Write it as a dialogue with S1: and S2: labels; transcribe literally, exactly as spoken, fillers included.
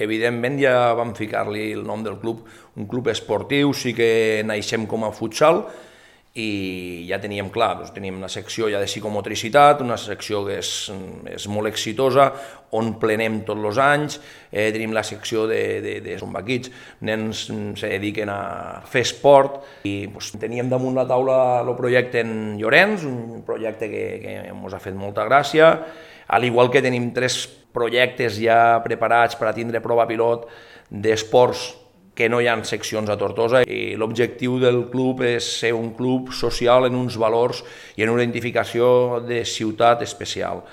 S1: Evidentment ja vam ficar-li el nom del club, un club esportiu, sí que naixem com a futsal i ja teníem clar, doncs teníem una secció ja de psicomotricitat, una secció que és, és molt exitosa, on plenem tots els anys, eh, tenim la secció de, de, de zombaquits, nens se dediquen a fer esport i doncs, teníem damunt la taula el projecte en Llorenç, un projecte que, que ens ha fet molta gràcia, al igual que tenim tres projectes ja preparats per a tindre prova pilot d'esports que no hi ha seccions a Tortosa i l'objectiu del club és ser un club social en uns valors i en una identificació de ciutat especial.